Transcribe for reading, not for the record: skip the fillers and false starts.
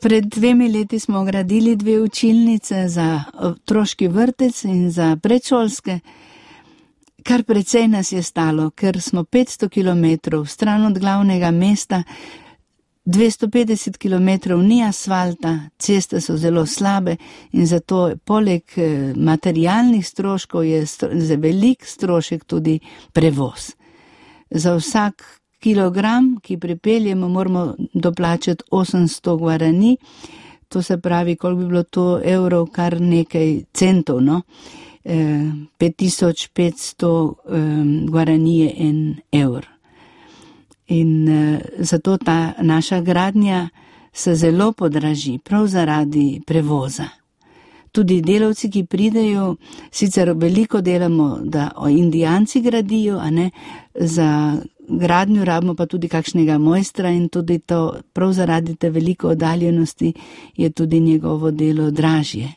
Pred 2 leti smo gradili 2 učilnice za otroški vrtec in za predšolske. Kar precej nas je stalo, ker smo 500 kilometrov stran od glavnega mesta, 250 kilometrov ni asfalta, ceste so zelo slabe in zato poleg materialnih stroškov je za velik strošek tudi prevoz. Za vsak kilogram, ki pripeljemo, moramo doplačati 800 gvarani, to se pravi, koliko bi bilo to evrov, kar nekaj centov, no? 5500 gvarani je 1 evr. In zato ta naša gradnja se zelo podraži, prav zaradi prevoza. Tudi delavci, ki pridejo, sicer veliko delamo, da Indijanci gradijo, a ne, za gradnjo rabimo pa tudi kakšnega mojstra in tudi to, prav zaradi te veliko oddaljenosti je tudi njegovo delo dražje.